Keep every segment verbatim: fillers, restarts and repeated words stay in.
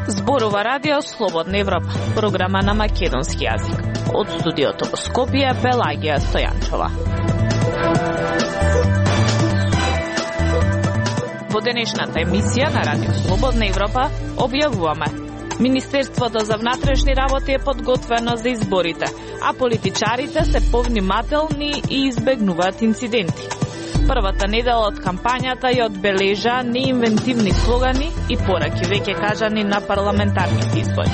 Зборува Радио Слободна Европа, програма на македонски јазик. Од студиото во Скопје, Пелагија Стојанчова. Во денешната емисија на Радио Слободна Европа објавуваме: Министерството за внатрешни работи е подготвено за изборите, а политичарите се повнимателни и избегнуваат инциденти. Првата недела од кампањата ја одбележа неинвентивни слогани и пораки веќе кажани на парламентарните избори.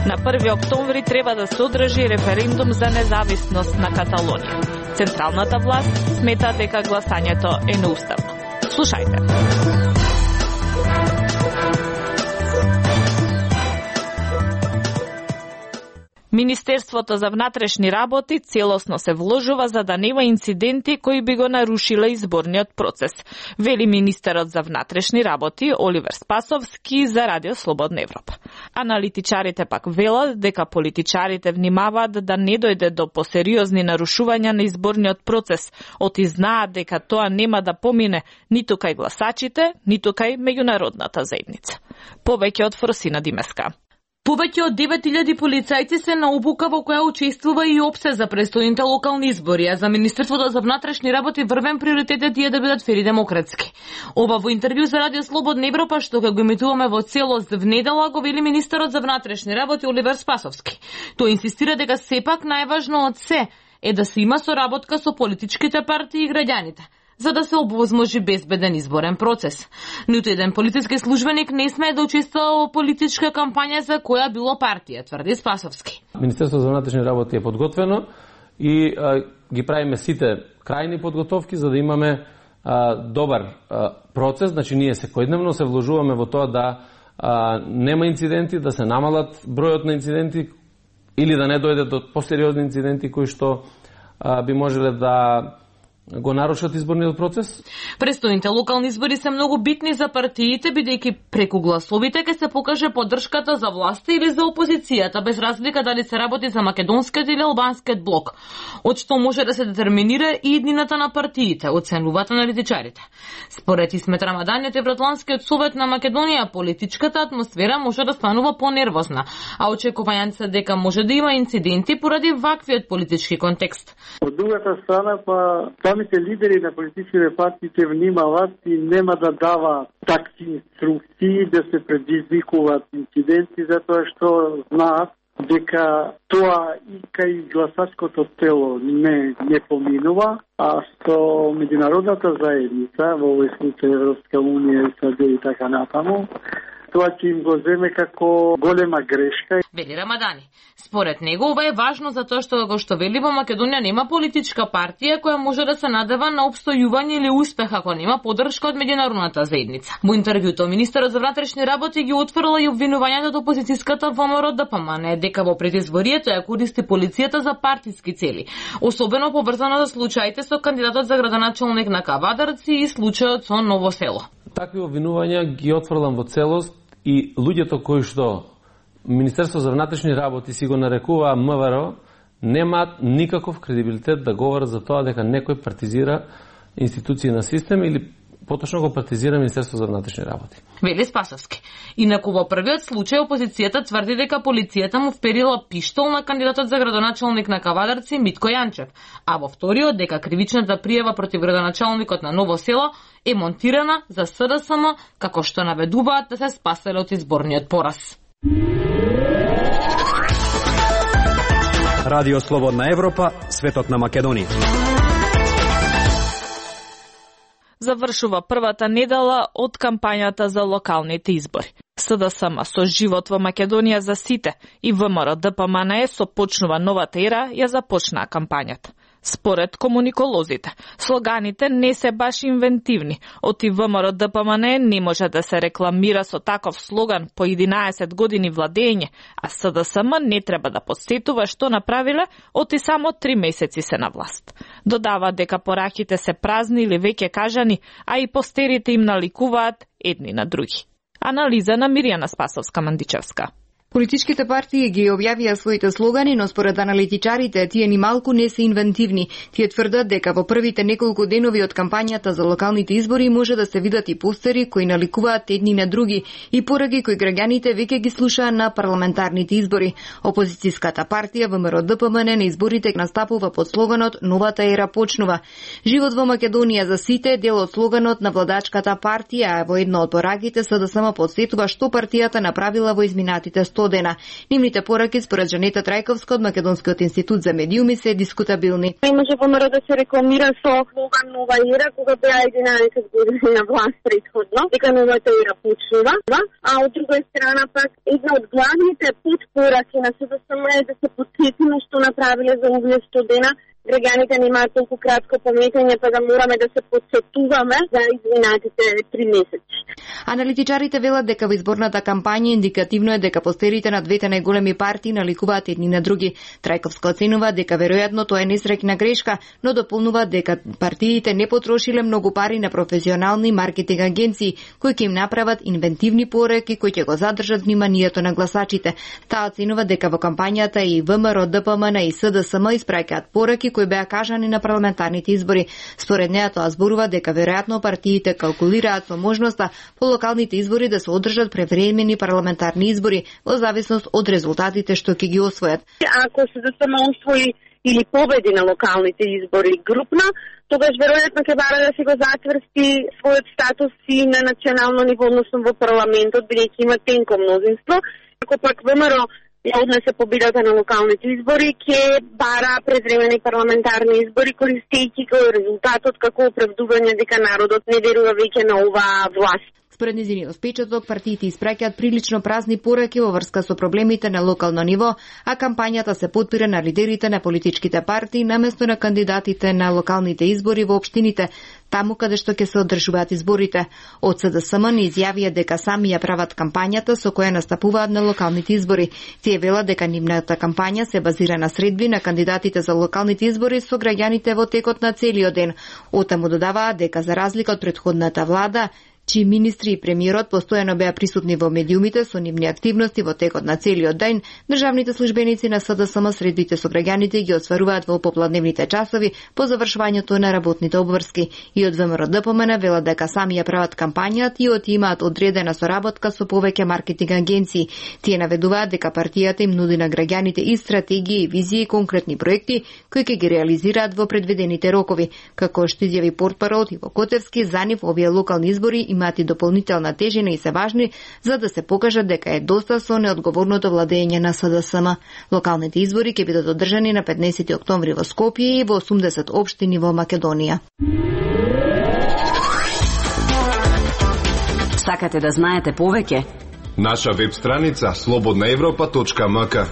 На први октомври треба да се одржи референдум за независност на Каталонија. Централната власт смета дека гласањето е неуставно. Слушајте. Министерството за внатрешни работи целосно се вложува за да нема инциденти кои би го нарушиле изборниот процес, вели министерот за внатрешни работи Оливер Спасовски за Радио Слободна Европа. Аналитичарите пак велат дека политичарите внимаваат да не дојде до посериозни нарушувања на изборниот процес, оти знаат дека тоа нема да помине ниту кај гласачите, ниту кај меѓународната заедница. Повеќе од Фросина Димеска. Повеќе од девет илјади полицајци се на обука во која учествува и ОПСЕ за престојните локални избори, а за Министерството за внатрешни работи врвен приоритетот е да бидат фери демократски. Ова во интервју за Радио Слободна Европа, што го емитуваме во целост в недела, го вели министерот за внатрешни работи Оливер Спасовски. Тој инсистира дека сепак најважно од се е да се има соработка со политичките партии и граѓаните, за да се овозможи безбеден изборен процес. Ниту еден полициски службеник не смее да учествува во политичка кампања за која било партија, тврди Спасовски. Министерството за внатрешни работи е подготвено и а, ги правиме сите крајни подготовки за да имаме а, добар а, процес. Значи ние секојдневно се вложуваме во тоа да а, нема инциденти, да се намалат бројот на инциденти или да не дојде до посериозни инциденти кои што а, би можеле да го нарушат изборниот процес. Престојните локални избори се многу битни за партиите, бидејќи преку гласовите ќе се покаже поддршката за власта или за опозицијата, без разлика дали се работи за македонскиот или албанскиот блок, од што може да се детерминира и иднината на партиите, оценуваат аналитичарите. Според Исмет Рамадан, Евроатлантскиот совет на Македонија, политичката атмосфера може да станува понервозна, а очекувањата се дека може да има инциденти поради ваквиот политички контекст. Од другата страна, па самите лидери на политичките партии ќе внимават и нема да дава такви инструкции да се предизвикуваат инциденти, затоа што знаат дека тоа и кај гласачкото тело не, не поминува, а со меѓународната заедница, во овој случај Европска унија, САД и така натаму, тоа ќе им го земе како голема грешка. Вели Рамадани. Според него ова е важно затоа што го што вели во Македонија нема политичка партија која може да се надева на опстојување или успех ако нема поддршка од меѓународната заедница. Во интервјуто министерот за внатрешни работи ги отфрла и обвинувањата од опозицијската ВМРО ДПМН дека во предизборието ја користи полицијата за партиски цели, особено поврзано за случаите со кандидатот за градоначалник на Кавадарци и случајот со Ново село. Такви обвинувања ги отфрлам во целост и луѓето кои што Министерство за внатрешни работи си го нарекува МВР немаат никаков кредибилитет да говорат за тоа дека некој партизира институции на систем или поточно го партизира Министерство за внатрешни работи. Вели Спасовски. Инаку во првиот случај опозицијата тврди дека полицијата му вперила пиштол на кандидатот за градоначалник на Кавадарци Митко Јанчев, а во вториот дека кривичната пријава против градоначалникот на Ново село е монтирана за СДСМ како што наведуваат да се спаселе од изборниот пораз. Радио Слободна Европа, светот на Македонија. Завршува првата недела од кампањата за локалните избори. СДСМ со живот во Македонија за сите и ВМРО ДПМН со почнува новата ера ја започнаа кампањата. Според комуниколозите, слоганите не се баш инвентивни. Оти ВМРО ДПМН не може да се рекламира со таков слоган по единаесет години владење, а СДСМ не треба да подсетува што направиле, оти само три месеци се на власт. Додава дека пораките се празни или веќе кажани, а и постерите им наликуваат едни на други. Анализа на Мирјана Спасовска-Мандичевска. Политичките партии ги објавија своите слогани, но според аналитичарите тие ни малку не се инвентивни. Тие тврдат дека во првите неколку денови од кампањата за локалните избори може да се видат и постери кои наликуваат едни на други и пораки кои граѓаните веќе ги слушаа на парламентарните избори. Опозицијската партија ВМРО Д П М Н на изборите настапува под слоганот "Новата ера почнува". Живот во Македонија за сите е дел од слоганот на владачката партија, а во една од пораките С Д С М подсетува што партијата направила во изминатите сто дена. Нивните пораки според Жанета Трајковска од Македонскиот институт за медиуми се дискутабилни. Имаше ВМРО да се рекламира со слоган "Нова ера", кога беа единаесет години на власт претходно, дека новата ера почнува, а од друга страна пак една од главните подпораки на С Д С М е да се подсетиме што направиле за овие сто дена. Граѓаните немаат толку кратко паметење, па да мораме да се подсетуваме за изминатите три месеци. Аналитичарите велат дека во изборната кампања индикативно е дека постерите на двете најголеми партии наликуваат едни на други. Трајковска оценува дека веројатно тоа е несреќна грешка, но дополнува дека партиите не потрошиле многу пари на професионални маркетинг агенции кои ќе им направат инвентивни пораки кои ќе го задржат вниманието на гласачите. Таа оценува дека во кампањата и ВМРО Д П М Н и С Д С М испраќаат пораки кои беа кажани на парламентарните избори. Според неа тоа зборува дека веројатно партиите калкулираат со можноста по локалните избори да се одржат превремени парламентарни избори во зависност од резултатите што ќе ги освојат. Ако се да само освои или победи на локалните избори групно, тогаш веројатно ќе бара да се го затврсти својот статус и на национално ниво, односно во парламентот, бидејќи има тенко мнозинство. Ако пак ВМРО ја однесе победата на локалните избори, ќе бара превремени парламентарни избори, користејќи го резултатот како оправдување дека народот не верува веќе на оваа власт. Според низиниот впечаток, партиите испраќаат прилично празни пораки во врска со проблемите на локално ниво, а кампањата се потпира на лидерите на политичките партии наместо на кандидатите на локалните избори во општините, таму каде што ќе се одржуваат изборите. Од С Д С М не изјавија дека сами ја прават кампањата со која настапуваат на локалните избори. Тие велат дека нивната кампања се базира на средби на кандидатите за локалните избори со граѓаните во текот на целиот ден. Отаму додаваат дека за разлика од претходната влада, чии министри и премиерот постојано беа присутни во медиумите со нивни активности во текот на целиот ден, државните службеници на С Д С М средбите со граѓаните ги осваруваат во попладневните часови по завршувањето на работните обврски. И од ВМРО Д П М Н велат дека сами ја прават кампањата и од имаат одредена соработка со повеќе маркетинг агенции. Тие наведуваат дека партијата им нуди на граѓаните и стратегии, визии и конкретни проекти кои ќе ги реализираат во предвидените рокови. Како што изјави портпарол Иво Котевски, за нив овие локални избори имаат и дополнителна тежина и се важни за да се покажат дека е доста со неодговорното владење на С Д С М. Локалните избори ќе бидат одржани на петнаесети октомври во Скопје и во осумдесет општини во Македонија. Сакате да знаете повеќе? Наша веб страница слободна европа точка м к.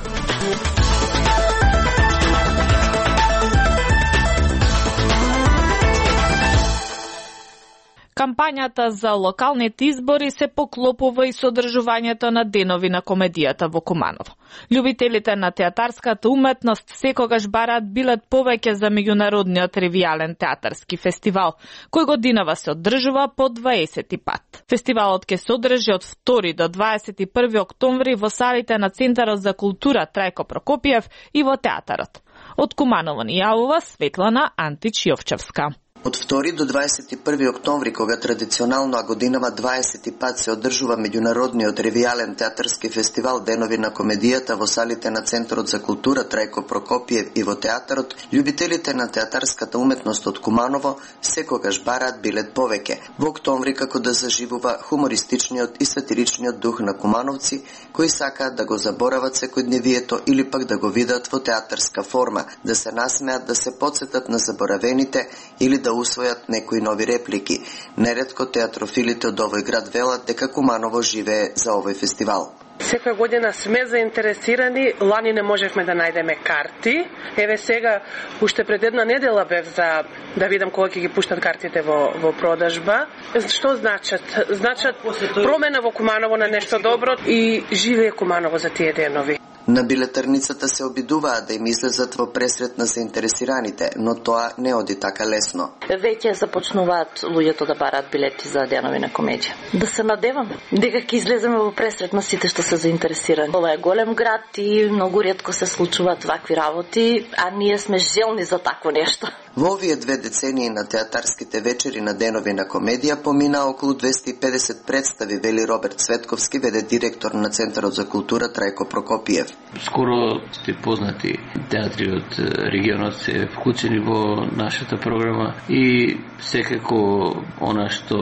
Кампањата за локалните избори се поклопува и содржувањето на денови на комедијата во Куманово. Љубителите на театарската уметност секогаш бараат билет повеќе за меѓународниот ревијален театарски фестивал, кој годинава се одржува по дваесети пат. Фестивалот ќе се одржи од втори до дваесет и први октомври во салите на Центарот за култура Трајко Прокопиев и во театарот. Од Куманово ни јавува Светлана Антич Јовчевска. Од втори до дваесет и први октомври, кога традиционално а годинава дваесети пат се одржува меѓународниот ревијален театарски фестивал Денови на комедијата во салите на Центарот за култура Трајко Прокопиев и во театарот, љубителите на театарската уметност од Куманово секогаш бараат билет повеќе. Во октомври како да заживува хумористичниот и сатиричниот дух на кумановци, кои сакаат да го заборават секојдневието или пак да го видат во театарска форма, да се насмеат, да се потсетат на заборавените или да усвојат некои нови реплики. Неретко театрофилите од овој град велат дека Куманово живее за овој фестивал. Секоја година сме заинтересирани, лани не можевме да најдеме карти. Еве сега, уште пред една недела бев за да видам кога ќе ги пуштат картите во, во продажба. Што значат? Значат промена во Куманово на нешто добро и живее Куманово за тие денови. На билетарницата се обидуваат да им излезат во пресрет на заинтересираните, но тоа не оди така лесно. Веќе започнуваат луѓето да бараат билети за денови на комедија. Да се надевам дека ќе излеземе во пресрет на сите што се заинтересирани. Ова е голем град и многу ретко се случуваат вакви работи, а ние сме желни за такво нешто. Во овие две децении на театарските вечери на денови на комедија помина околу двесте и педесет представи, вели Роберт Цветковски, веде директор на Центарот за култура Трајко Прокопиев. Скоро сте познати театри од регионот се вклучени во нашата програма и секако она што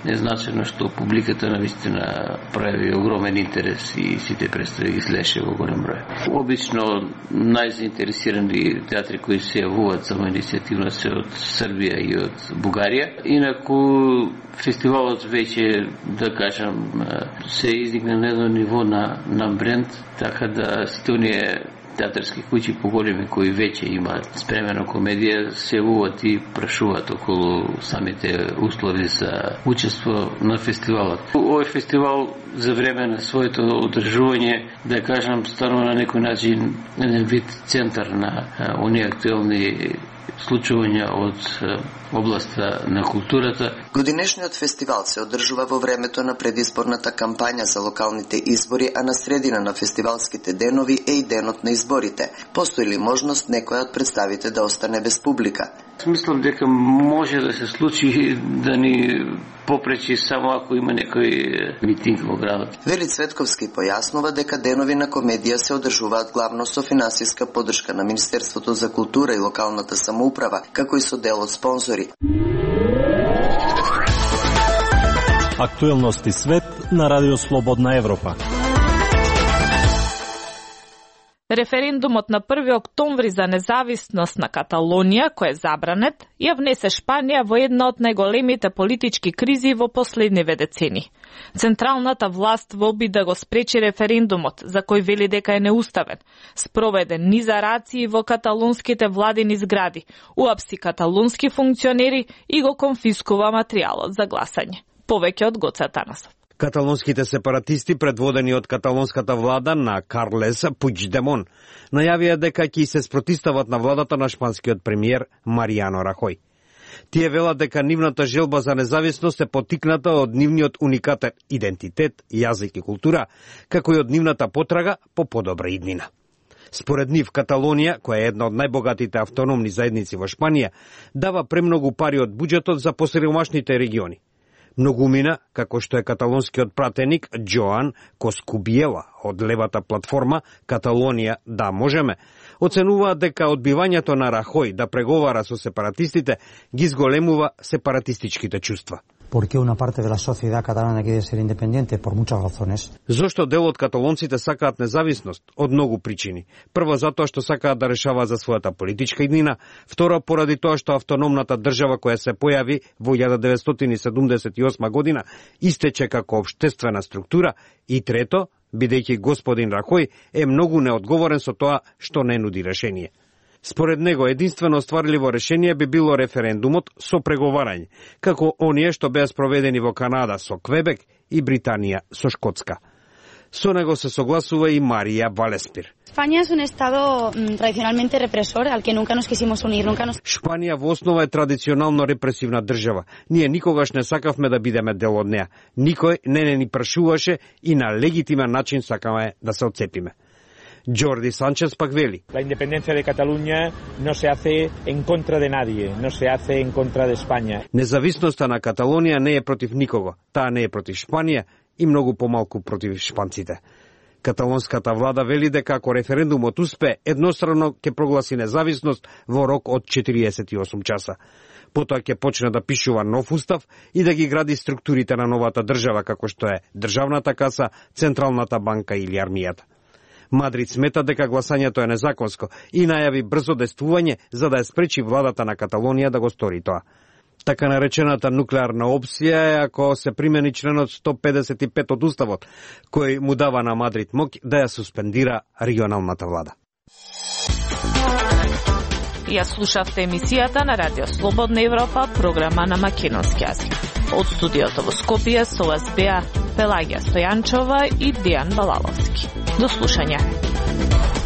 е значено што публиката навистина прави огромен интерес и сите представи ги следеше во голем број. Обично најзаинтересирани театри кои се јавуваат само иницијативно се од Србија и од Бугарија. Инаку фестивалот веќе, да кажам, се издигна на едно ниво на, на бренд, така да сите оние театарски куќи поголеми кои веќе имаат спремена комедија се јавуваат и прашуваат околу самите услови за учество на фестивалот. Овој фестивал за време на своето одржување, да кажам, станува на некој начин еден вид центар на оние актуелни случувања од областа на културата. Годинешниот фестивал се одржува во времето на предизборната кампања за локалните избори, а на средина на фестивалските денови е и денот на изборите. Постои ли можност некоја од представите да остане без публика? Мислам дека може да се случи да ни попречи само ако има некој митинг во градот. Вели Цветковски појаснува дека денови на комедија се одржуваат главно со финансиска поддршка на Министерството за култура и локалната самоуправа, како и со дел од спонзори. Актуелности свет на Радио Слободна Европа. Референдумот на први октомври за независност на Каталонија, кој е забранет, ја внесе Шпанија во една од најголемите политички кризи во последниве децени. Централната власт во обид да го спречи референдумот, за кој вели дека е неуставен, спроведе низа рации во каталонските владини згради, уапси каталонски функционери и го конфискува материјалот за гласање. Повеќе од Гоце Атанасов. Каталонските сепаратисти, предводени од каталонската влада на Карлес Пучдемон, најавија дека ќе се спротистават на владата на шпанскиот премиер Маријано Рахој. Тие велат дека нивната желба за независност е поттикната од нивниот уникатен идентитет, јазик и култура, како и од нивната потрага по подобра иднина. Според нив, Каталонија, која е една од најбогатите автономни заедници во Шпанија, дава премногу пари од буџетот за посиромашните региони. Многумина, како што е каталонскиот пратеник Джоан Коскубиела од левата платформа Каталонија да можеме, оценуваат дека одбивањето на Рахој да преговара со сепаратистите ги зголемува сепаратистичките чувства. ¿Por qué una parte de la sociedad catalana quiere ser independiente? Por muchas razones. Зошто дел од каталонците сакаат независност? Од многу причини. Прво, затоа што сакаат да решаваат за својата политичка иднина. Второ, поради тоа што автономната држава која се појави во илјада деветстотини седумдесет и осма година истече како општествена структура. И трето, бидејќи господин Рахој е многу неодговорен со тоа што не нуди решение. Според него, единствено остварливо решение би било референдумот со преговарање, како оние што беа спроведени во Канада со Квебек и Британија со Шкотска. Со него се согласува и Марија Валеспир. España es un estado mm, tradicionalmente represor al que nunca nos quisimos unir, nunca nos... Шпанија во основа е традиционално репресивна држава. Ние никогаш не сакавме да бидеме дел од неа. Никој не не ни прашуваше и на легитимен начин сакаме да се отцепиме. Jordi Sánchez пак вели: La independencia de Cataluña no se hace en contra de nadie, no se hace en contra de España. Независноста на Каталонија не е против никого. Таа не е против Шпанија и многу помалку против шпанците. Каталонската влада вели дека ако референдумот успе, едностранно ќе прогласи независност во рок од четириесет и осум часа. Потоа ќе почне да пишува нов устав и да ги гради структурите на новата држава, како што е државната каса, Централната банка или армијата. Мадрид смета дека гласањето е незаконско и најави брзо действување за да ја спречи владата на Каталонија да го стори тоа. Така наречената нуклеарна опција е ако се примени членот сто педесет и пет од уставот, кој му дава на Мадрид моќ да ја суспендира регионалната влада. Ја слушавте емисијата на Радио Слободна Европа, програма на македонски јазик. Од студиото во Скопје со вас беа Пелагија Стојанчова и Дијан Балаловски. До слушање. Европа.